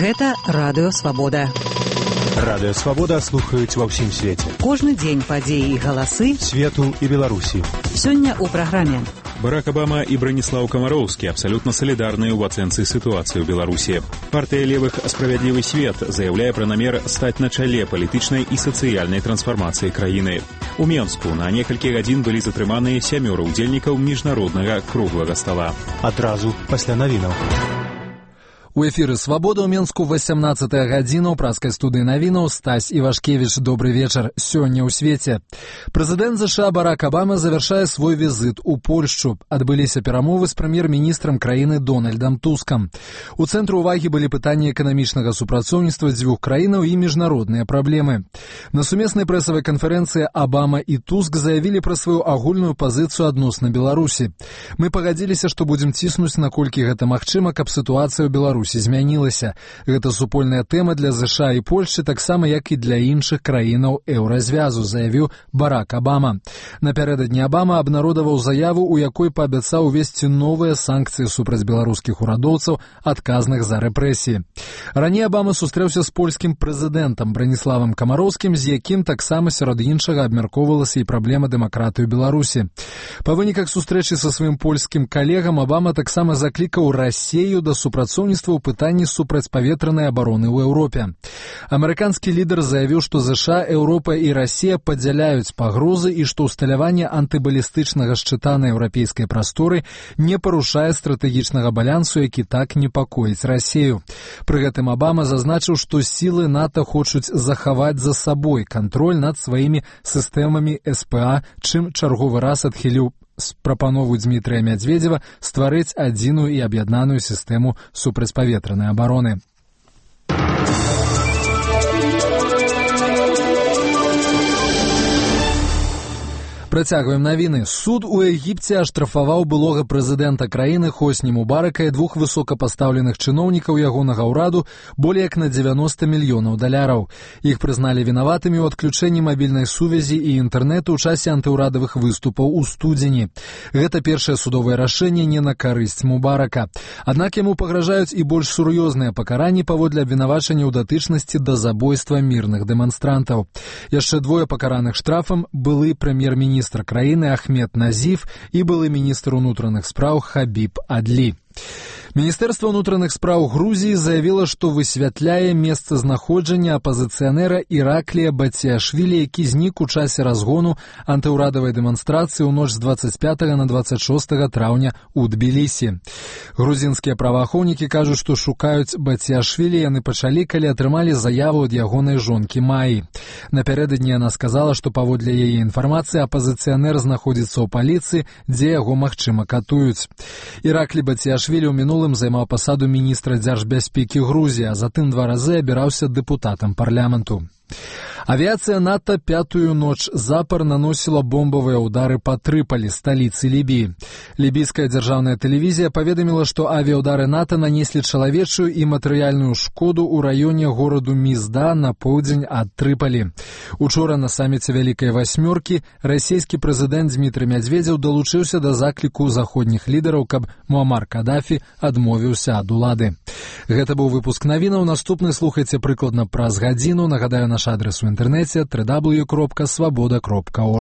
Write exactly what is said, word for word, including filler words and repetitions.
Гэта Радыё Свабода. Радыё Свабода слухаюць ва ўсім свеце. Кожны дзень падзеі і галасы свету і Беларусі. Сёння ў праграме. Барак Обама и Бронислав Комаровский абсолютно солидарны в оценке ситуации в Беларуси. Партия левых «Справедливый свет» заявляет про намер стать на чале политичной и социальной трансформации краины. У Менску на некалькі гадзін былі затрыманыя сямёра удзельнікаў міжнароднага круглага стола. Адразу пасля навінаў. У эфіры «Свабода» ў Менску восемнадцатая гадзіна ў праскай студыі навінаў. Стась Івашкевіч, добрый вечар. Сёння ў свеце. Прэзідэнт ЗША Барак Обама завяршае свой візіт у Польшчу. Адбыліся перамовы з прэм'ер-міністрам краіны Дональдам Тускам. У цэнтры ўвагі былі пытанні эканамічнага супрацоўніцтва дзвюх краінаў і міжнародныя праблемы. На сумеснай прэсавай канферэнцыі Обама і Туск заявілі пра сваю агульную пазіцыю адносна Беларусі. Мы пагадзіліся, што будзем ціснуць, наколькі гэта магчыма, каб сітуацыя ў Беларусі змянілася. Гэта супольная тэма для ЗША і Польшчы, таксама як і для іншых краінаў еўразвязу, заявіў Барак Обама. Напярэдадні Обама абнародаваў заяву, у якой паабяцаў увесці новыя санкцыі супраць беларускіх урадоўцаў, адказных за рэпрэсіі. Раней Обама сустрэўся з польскім прэзідэнтам Брониславам Комаровскім, з якім таксама сярод іншага абмяркоўвалася і праблема дэмакратыі ў Беларусі. Па выніках сустрэчы са сваім польскім калегам Обама таксама заклікаў Расею да супрацоўніцтва ў пытанні супрацьпаветранай абароны ў Еўропе. Амерыканскі лідар заявіў, што ЗША, Еўропа і Расія падзяляюць пагрозы і што ўсталяванне антыбалістычнага шчыта на еўрапейскай прасторы не парушае стратэгічнага балансу, які так непакоіць Расею. Пры гэтым Обама зазначыў, што сілы НАТО хочуць захаваць за сабой кантроль над сваімі сістэмамі СПА, чым чарговы раз адхіліў прапанову Дмітрыя Мядзведзева стварыць адзіную і аб'яднаную сістэму супрацьпаветранай абароны. Працягваем навіны. Суд у Егіпце аштрафаваў былога прэзідэнта краіны Хосні Мубарака і двух высокапастаўленых чыноўнікаў ягонага ўраду болей як на дзевяноста мільёнаў даляраў. Іх прызналі вінаватымі ў адключэнні мабільнай сувязі і інтэрнэту ў часе антыўрадавых выступаў у студзені. Гэта першае судовае рашэнне не на карысць Мубарака. Аднак яму пагражаюць і больш сур'ёзныя пакаранні паводле абвінавачання ў датычнасці да забойства мірных дэманстрантаў. Яшчэ двое пакараных штрафам былы прэм'ер-міністр міністр краіны Ахмед Назіф і былы міністр унутраных спраў Хабіб Адлі. Міністэрства ўнутраных спраў Грузіі заявіла, што высвятляе месцазнаходжанне апазіцыянера Іраклія Батзіашвілі, які знік у часе разгону антыўрадавай дэманстрацыі ў ноч з дваццаць пятага на дваццаць шостага траўня ў Тбілісі. Грузінскія праваахоўнікі кажуць, што шукаюць Батзіашвілі яны пачалі, калі атрымалі заяву ад ягонай жонкі Маі. Напярэдадні яна сказала, што паводле яе інфармацыі апазіцыянер знаходзіцца ў паліцыі, дзе яго, магчыма, катуюць. Іраклі Батзіашвілі ў мінулым займаў пасаду міністра дзяржбяспекі Грузіі, а затым два разы абіраўся дэпутатам парламенту. Авіацыя НАТО пятую ноч запар наносіла бомбавыя ўдары па Трыполі, сталіцы Лібіі. Лібійская дзяржаўная тэлевізія паведаміла, што авіяўдары НАТО нанеслі чалавечую і матэрыяльную шкоду ў раёне гораду Мізда на поўдзень ад Трыполі. Учора на саміце Вялікай васьмёркі расійскі прэзідэнт Дмітрый Мядзведзеў далучыўся да закліку заходніх лідараў, каб Муамар Кадафі адмовіўся ад улады. Гэта быў выпуск навінаў. Наступны слухайце прыкладна праз гадзіну. Нагадаю, наш адрес у інтэрнэце дабл ю дабл ю дабл ю кропка свабода кропка орг.